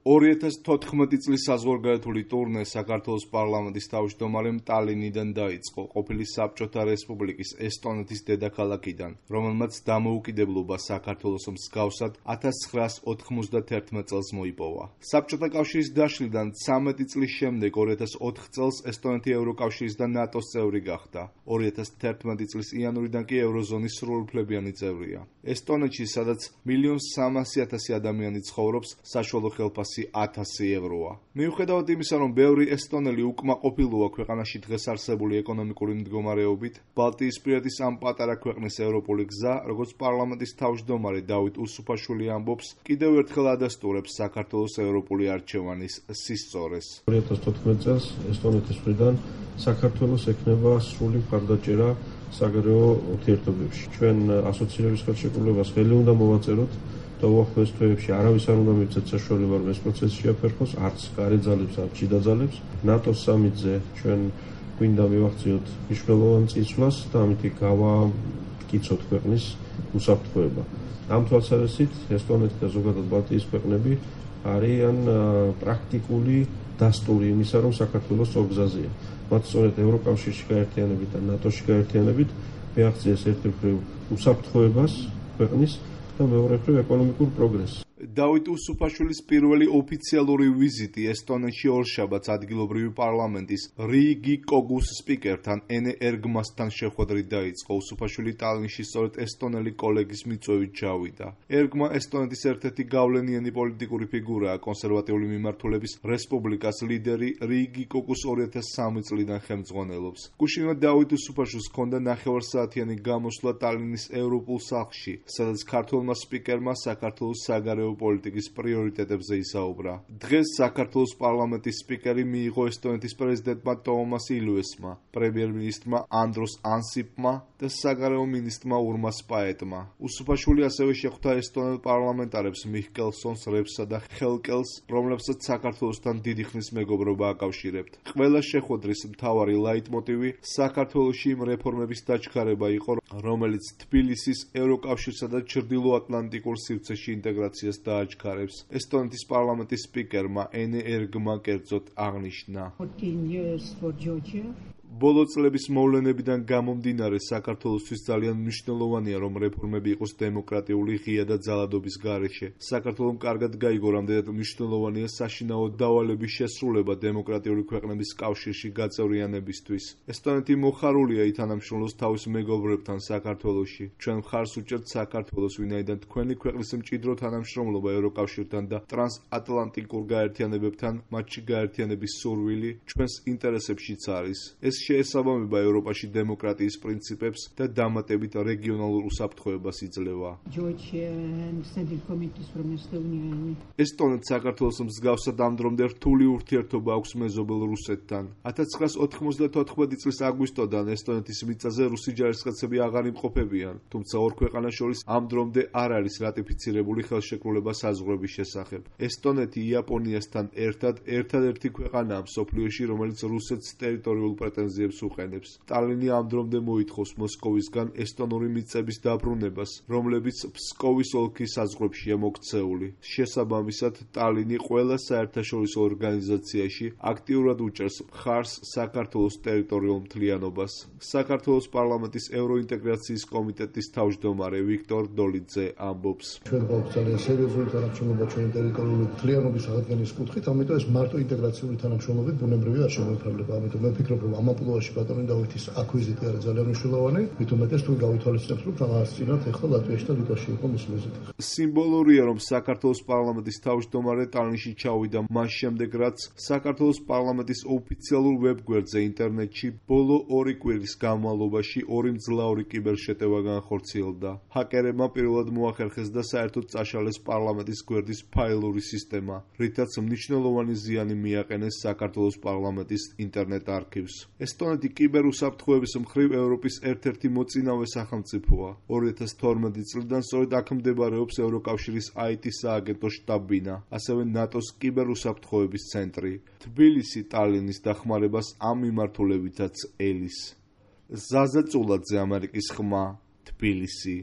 2014 წლის საზღვარგარეთული ტურნე საქართველოს პარლამენტის თავმჯდომარემ ტალინიდან დაიწყო, ყოფილი საბჭოთა რესპუბლიკის ესტონეთის დედაქალაქიდან, რომელმაც დამოუკიდებლობა საქართველოს მსგავსად 1991 წელს მოიპოვა. საბჭოთა კავშირის დაშლიდან 13 წლის შემდეგ 2004 წელს ესტონეთი ევროკავშირის და ნატოს წევრი გახდა. 2011 წლის იანვრიდან კი ევროზონის სრულუფლებიანი წევრია. ესტონეთში, სადაც 1.300.000 ადამიანი ცხოვრობს, საშუალო ხელფასი 1000 ევროა. მიუხედავად იმისა, რომ ბევრი ესტონელი უკმაყოფილოა ქვეყანაში დღეს არსებული ეკონომიკური მდგომარეობით, ბალტიისპირეთის ამ პატარა ქვეყნის ევროპული გზა, როგორც პარლამენტის თავმჯდომარე დავით უსუფაშვილი ამბობს, კიდევ ერთხელ ადასტურებს საქართველოს ევროპული არჩევანის სისწორეს. 2014 წელს ესტონეთის მხრიდან საქართველოს ექნება სრული მხარდაჭერა საგარეო ურთიერთობებში. ჩვენ ასოცირების ხელშეკრულებას ხელი უნდა მოვაწეროთ და უახლოეს თვეებში არავის არ უნდა მივცეთ საშუალება, რომ ეს პროცესი შეაფერხოს, არც გარე ძალებს, არც შიდა ძალებს. ნატოს სამიტზე ჩვენ გვინდა მივახციოთ მნიშვნელოვან წინსვლას და ამითი გავაკიცოთ ქვეყნის უსაფრთხოება. ამ თვალსაზრისით ესტონეთი და ზოგადად ბალტიის ქვეყნები არიან პრაქტიკული დასტური იმისა, რომ საქართველოს ორგზაზეა. მათ სწორედ ევროკავშირში გაერთიანებით და ნატოში გაერთიანებით მიაღწიეს ერთი მხრივ უსაფრთხოებას ქვეყნის და მეორე მხრივ ეკონომიკურ პროგრესს. დავით უსუფაშვილის პირველი ოფიციალური ვიზიტი ესტონეთში ორშაბათს ადგილობრივი პარლამენტის რიგი კოგუს სპიკერთან ენე ერგმასთან შეხვედრით დაიწყო. უსუფაშვილი ტალინში სწორედ ესტონელი კოლეგის მიწვევით ჩავიდა. ერგმა ესტონეთის ერთ-ერთი გავლენიანი პოლიტიკური ფიგურაა, კონსერვატიული მიმართულების რესპუბლიკას ლიდერი რიგი კოგუს 2003 წლიდან ხელმძღვანელობს. გუშინვე დავით უსუფაშვილს ჰქონდა 9 საათიანი გამოსვლა ტალინის ევროპულ სახლში, სადაც ქართველმა სპიკერმა საქართველოს საგარეო პოლიტიკის პრიორიტეტებზე ისაუბრა. დღეს საქართველოს პარლამენტის სპიკერი მიიღო ესტონეთის პრეზიდენტმა ტოომას ილვესმა, პრემიერ-მინისტრმა ანდროს ანსიპმა და საგარეო მინისტრმა ურმას პაეტმა. უსუფაშვილი ასევე შეხვდა ესტონელ პარლამენტარებს მიხკელსონს, რებსა და ხელკელს, რომლებსაც საქართველოსთან დიდი ხნის მეგობრობა აკავშირებთ. ყველა შეხვედრის მთავარი ლაიტმოტივი საქართველოში იმ რეფორმების დაჩქარება იყო, რომელიც თბილისის ევროკავშირსა და ჩრდილოატლანტიკურ სივრცეში ინტეგრაციას დააჩქარებს. ესტონეთის პარლამენტის სპიკერმა ენე ერგმა კერძოდ აღნიშნა. ბოლო წლების მოვლენებიდან გამომდინარე საქართველოსთვის ძალიან მნიშვნელოვანია, რომ რეფორმები იყოს დემოკრატიული, ღია და ძალადობის გარეშე. საქართველომ კარგად გაიგო, რამდენად მნიშვნელოვანია საშინაო დავალების შესრულება დემოკრატიული ქვეყნების კავშირში გაწევრიანებისთვის. ესტონეთი მოხარულია ითანამშრომლოს თავის მეგობრებთან საქართველოში. ჩვენ მხარს უჭერთ საქართველოს, ვინაიდან თქვენი ქვეყნის მჭიდრო თანამშრომლობა ევროკავშირთან და ტრანსატლანტიკურ გაერთიანებებთან, მათში გაერთიანების სურვილი ჩვენს ინტერესებშიც არის. ეს შეესაბამება ევროპაში დემოკრატიის პრინციპებს და დამატებით რეგიონალურ უსაფრთხოებას იძლევა. ესტონეთს საქართველოს მსგავსად ამ დრომდე რთული ურთიერთობა აქვს მეზობელ რუსეთთან. 1994 წლის აგვისტოდან ესტონეთის მიწაზე რუსი ჯარისკაცები აღარ იმყოფებიან, თუმცა ორ ქვეყანას შორის ამ დრომდე არ არის რატიფიცირებული ხელშეკრულება საზღვრების შესახებ. ესტონეთი იაპონიასთან ერთადერთი ქვეყანაა მსოფლიოში, რომელიც რუსეთს ტერიტორიულ პრეტენზიებს უყენებს. ტალინი ამ დრომდე მოითხოვს მოსკოვისგან ესტონური მიწების დაბრუნებას, რომლებიც ფსკოვის ოლქის საზღვრებშია მოქცეული. შესაბამისად, ტალინი ყველა საერთაშორისო ორგანიზაციაში აქტიურად უჭერს მხარს საქართველოს ტერიტორიულ მთლიანობას. საქართველოს პარლამენტის ევროინტეგრაციის კომიტეტის თავმჯდომარე ვიქტორ დოლიძე ამბობს. ჩვენ გვაქვს ძალიან სერიოზული თანამშრომლობა ჩვენი ტერიტორიული მთლიანობის აღდგენის კუთხით, ამიტომ ეს მარტო ინტეგრაციული თანამშრომლობით ბუნებრივი არ შემოიფარგლება. ამიტომ მე ვფიქრობ, რომ ამ ამპლუაში ბატონი დავითის აკვიზიტი არის ძალიან მნიშვნელოვანი, მით უმეტეს თუ გავითვალისწინებთ, რომ რაღაცნაირად ეხლა ლატვიაში და ლიტვაში იყო მის ვიზიტი. სიმბოლურია, რომ საქართველოს პარლამენტის თავმჯდომარე ტალინში ჩავიდა მას შემდეგ, რაც საქართველოს პარლამენტის ოფიციალურ ვებგვერდზე ინტერნეტში ბოლო 2 კვირის განმავლობაში 2 მძლავრი კიბერშეტევა განხორციელდა. ჰაკერებმა პირველად მოახერხეს და საერთოდ წაშალეს პარლამენტის გვერდის ფაილური სისტემა, რითაც მნიშვნელოვანი ზიანი მიაყენეს საქართველოს პარლამენტის ინტერნეტ არქივს. ესტონეთი კიბერუსაფრთხოების მხრივ ევროპის ერთ-ერთი მოწინავე სახელმწიფოა. 2012 წლიდან სწორედ აქ მდებარეობს ევროკავშირის IT სააგენტო შტაბ-ბინა, ასევე ნატოს კიბერუსაფრთხოების ცენტრი. თბილისი ტალინის დახმარებას ამ მიმართულებითაც ელის. ზაზა წულაძე, ამერიკის ხმა, თბილისი.